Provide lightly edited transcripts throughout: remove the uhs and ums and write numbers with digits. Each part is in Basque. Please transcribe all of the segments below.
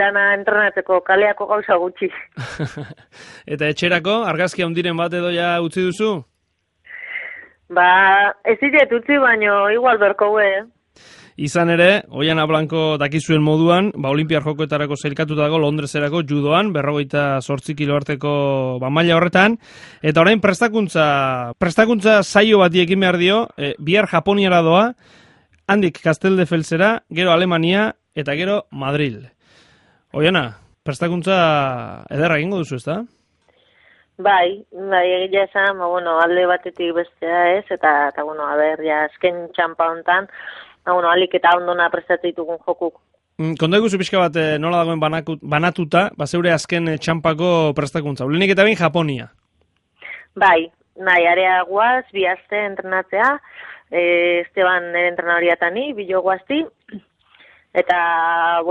dana entrenatzeko kaleako gauza gutxi. Eta etxerako, argazki handiren bat edo ja utzi duzu? Ez ditet utzi, baino igual berko Izan ere, Oiana Blanco dakizuen moduan, Olimpiar Jokoetarako sailkatuta dago Londreserako judoan, 58 kilo arteko maila horretan, eta orain prestakuntza saio bati ekin behar dio, bihar Japoniara doa, handik Casteldefelsera, gero Alemania, eta gero Madrid. Oiana, prestakuntza ederra egingo duzu, ezta? Bai, egia esan, alde batetik bestea ez, eta azken txampa hontan, alik eta ondona prestatzen ditugun jokuk. Konta iguzu pixka bat nola dagoen banatuta, zeure azken txampako prestakuntza. Ulenik eta bain Japonia. Bai, area guaz, bi aste entrenatzea, Esteban entrenariatani, bilo guazti, eta,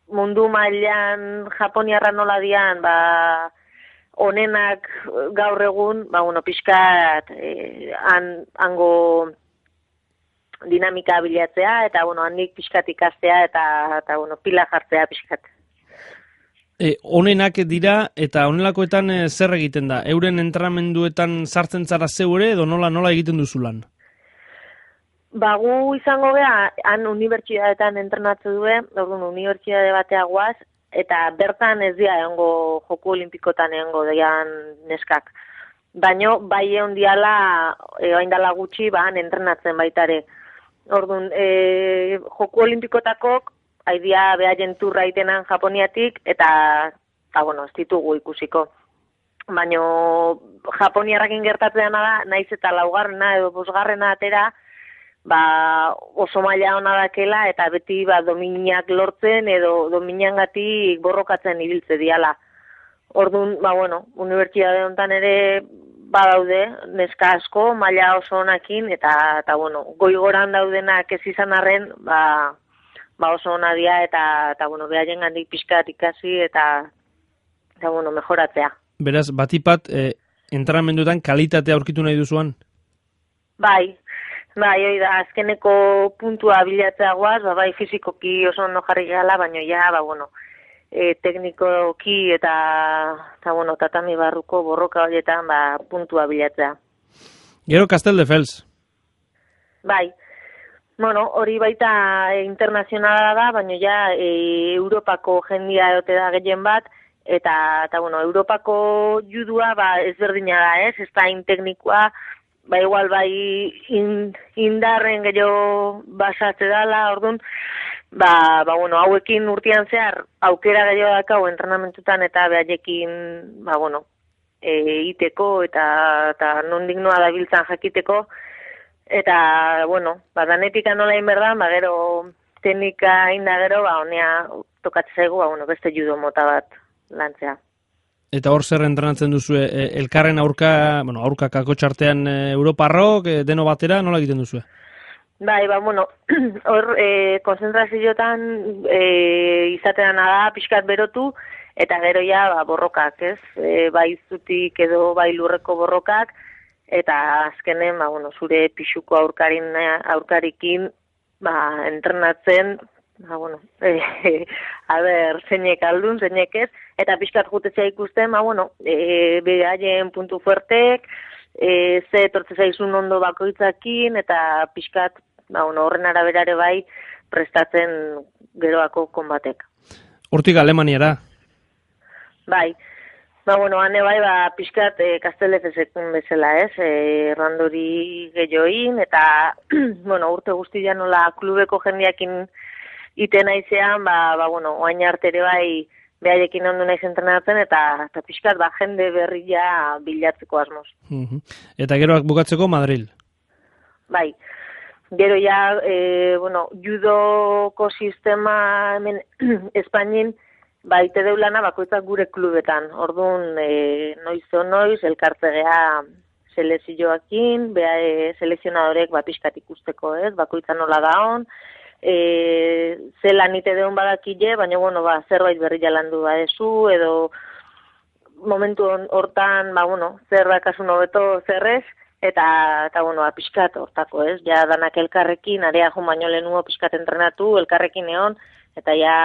mundu mailan Japoniarra nola dian, onenak gaur egun, pixkat, hango dinamika bilatzea, eta, handik pixkat ikastea, eta pila jartzea pixkat. Onenak dira, eta onelakoetan zer egiten da? Euren entrenamenduetan sartzen zara zeure, edo nola egiten duzu lan? Gu izango geha, han unibertsitateetan entrenatze due, unibertsitate batea guaz, eta bertan ez dira egongo Joku Olimpikotan egongo dian neskak. Baino, bai egon diala, oindala gutxi, han entrenatzen baitare. Orduan, Joku Olimpikotakok, haidia behaien turra itenan Japoniatik, eta ez ditugu ikusiko. Baino, Japoniarrakin gertatzen da, naiz eta laugarrena edo bosgarrena atera, oso maila hona dakela, eta beti dominak lortzen, edo dominangatik borrokatzen ibiltze diala. Orduan, unibertsitate honetan ere badaude, neska asko, maila oso honakin, eta goigoran daudenak ez izan arren, oso hona dia, eta behaien gandik pixkat ikasi, eta mejoratzea. Beraz, batipat, entrenamenduetan kalitatea aurkitu nahi duzuan? Bai, hoi da, azkeneko puntua bilatzea guaz, bai fizikoki oso ondo jarri gala, baina ja, teknikoki eta tatami barruko borroka horietan puntua bilatzea. Gero Casteldefels. Bai, hori baita internazionala da, baina ja Europako jendia edote da gehien bat, eta Europako judua ezberdina da ez da teknikoa, igual indarren gehiago basatze dala, orduan, hauekin urtean zehar aukera gehiago dakau entrenamentutan eta behaiekin, iteko eta nondik noa dabiltzan jakiteko, eta, danetika nola inberdan, gero teknika inda gero, honea tokatzegu, beste judo mota bat lantzea. Eta hor zer entrenatzen duzu, elkarren aurka kakotxartean Europarrok, deno batera, nola egiten duzu? Bai, hor konzentrazioetan izatean da pixkat berotu, eta gero ja borrokak, ez? Bai zutik edo bai lurreko borrokak, eta azkenen, zure pixuko aurkarikin entrenatzen, zeinek aldun, zeinek ez, eta pixkat jutezea ikusten, behaien puntu fuertek, ze etortze zaizun ondo bakoitzakin, eta pixkat, horren araberare bai, prestatzen geroako konbatek. Hortik Alemaniara? Bai, hane bai, pixkat Casteldefelsekun bezala, ez, errandori gehioin, eta, urte guztia nola klubeko jendeakin iten aizean, oain artere bai, behaiekin ondo naiz entrenatzen, eta pixkat jende berria bilatzeko asmoz. Eta gero bukatzeko Madrid? Bai, gero ja, judoko sistema hemen Espainin, ite deulana bakoitzak gure klubetan. Orduan, noiz, elkartzegea selezioakin, selezionadorek pixkat ikusteko, ez, bakoitza nola daon, zelan ite deun badakile, baina, zerbait berri jalandu badezu, edo momentu hortan, zerbait kasun hobeto zerrez, eta pixkat hortako, ez, ja danak elkarrekin, area jo baino lehenuo pixkat entrenatu, elkarrekin egon, eta ja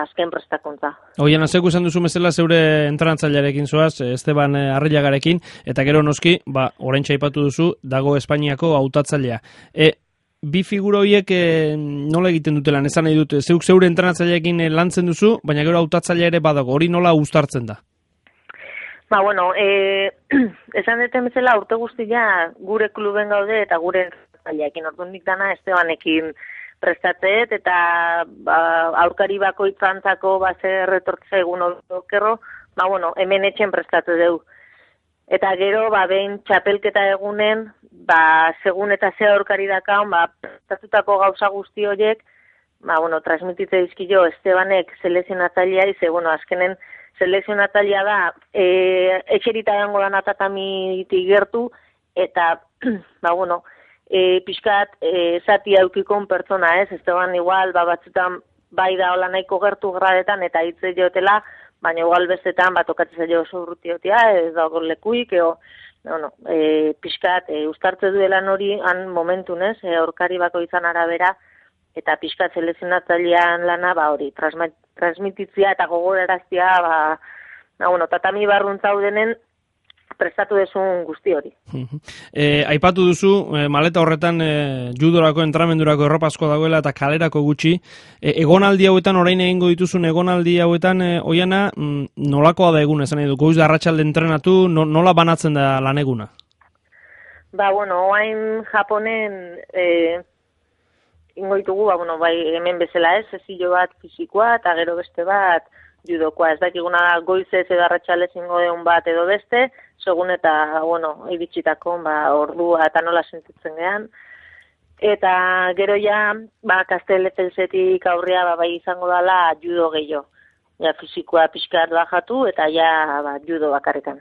azken prestakuntza. Oian, zeuk esan duzu bezala zeure entrenatzailearekin zoaz, Esteban Arrillagarekin, eta gero noski, oraintxe aipatu duzu, dago Espainiako hautatzailea. Bi figura horiek nola egiten dutela, esan nahi dute, zeuk zeure entrenatzaileekin lantzen duzu, baina gero hautatzailea ere badago, hori nola uztartzen da? Esan deten bezala urte guztia gure kluben gaude eta gure entrenatzaileekin, orduan dana Estebanekin prestatzet, eta aurkari bakoitzantzako zer retortza egun okerro, hemen etxen prestatu dugu. Eta gero, behin txapelketa egunen, segun eta ze aurkari dakaun, prestatutako gauza guzti horiek, transmititze dizkio Estebanek selekzionatzailea, azkenen selekzionatzailea da, etxerita dango da natatamitik gertu, eta, pixkat, zati aukikon pertsona ez, Esteban igual, batzutan bai da hola nahiko gertu gradetan, eta hitze jotela, baina igual bestetan tokatzen zailo oso urrutiotia, ez dago lekuik, pixkat, ustartze duelan hori, han momentun ez, aurkari bako izan arabera, eta pixkat selekzionatzailean lana, hori, transmititzia eta gogoraraztia, tatami barruntza denen, prestatu desun guzti hori. Aipatu duzu, maleta horretan judorako, entramendurako erropazko dagoela eta kalerako gutxi. Egonaldi hauetan, orain egingo dituzun egonaldi hauetan, Oiana, nolakoa da egun, esan nahi du? Goiz da arratsalde entrenatu, nola banatzen da lan eguna? Oain Japonen ingo ditugu, hemen bezala ez, zezilo bat fizikoa eta gero beste bat judokoa. Ez dakiguna goizez edo arratsalez ingo deun bat edo beste, segun eta, iritsitako, ordua eta nola sentitzen gehan. Eta gero ja, Kastel-Efelsetik aurrea bai izango dela judo gehiago. Ja, fizikoa pixkat bajatu eta ja, judo bakarrekan.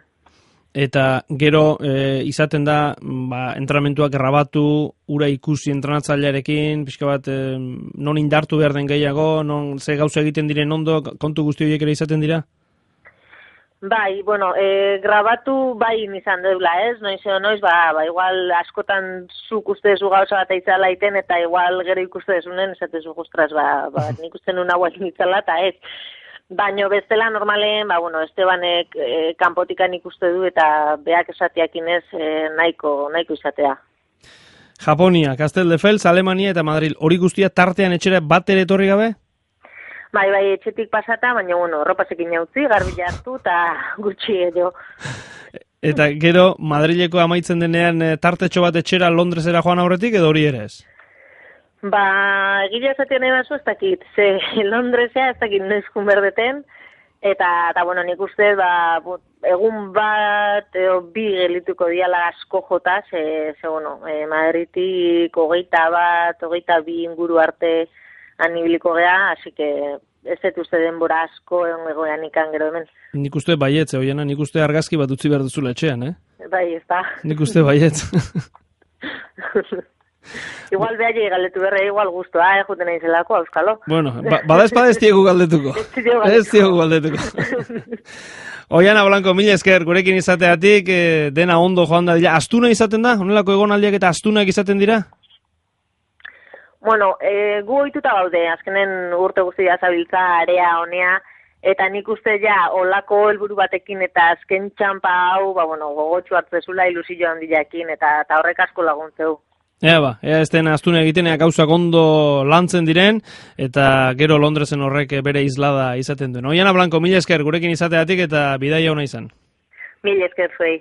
Eta gero izaten da, entrenamentuak grabatu, ura ikusi entrenatzailearekin, pixka bat, non indartu behar den gehiago, non ze gauza egiten diren ondo, kontu guzti horiek ere izaten dira? Grabatu bai izan deula ez, noiz, igual askotan zuk ustezu gauza bat eitzala iten, eta igual gero ikustezunen, esatezu gustras, nik uste nun hauak nitzala, eta ez. Baina bestela normalen, Estebanek kanpotikan ikuste du eta beak esatiakin ez nahiko izatea. Japonia, Castelldefels, Alemania eta Madrid, hori guztia tartean etxera bat ere etorri gabe? Bai, etxetik pasata, baina, ropasekin jautzi, garbila hartu eta gutxi edo. Eta gero, Madrileko amaitzen denean tartetxo bat etxera Londresera joan aurretik edo hori ere ez? Egia esatea nahi bazu ez dakit, Londresea ez dakit neskun berdeten, eta nik uste, egun bat, bi gelituko diala asko jota, Madridik 22 inguru arte anibiliko gea, así que ez dut uste denbora asko egoean ikan gero hemen. Nik uste baietz, Oiana, nik uste argazki bat utzi behar duzula etxean, Bai, ez da. Nik uste baietz. Igual behar galdetu berre, igual guztua, juten nahi zelako, auskalo. Bueno, bada espada ez diegu galdetuko. Ez diegu galdetuko. Oiana Blanco, mila esker, gurekin izateatik, dena ondo joan da dira. Astuna izaten da? Honelako egonaldiak eta astunak izaten dira? Gu ohituta gaude, azkenen urte guztia zabiltza area honea, eta nik uste ja, olako helburu batekin eta azken txampa hau, gogotxu hartzezula ilusio handiakin, eta horrek asko laguntzeu. Ea ez den astuna egiten, gauzak ondo lantzen diren, eta gero Londresen horrek bere islada izaten duen. Oiana Blanco, mila esker, gurekin izateatik eta bidaia ona izan. Mila esker zuei.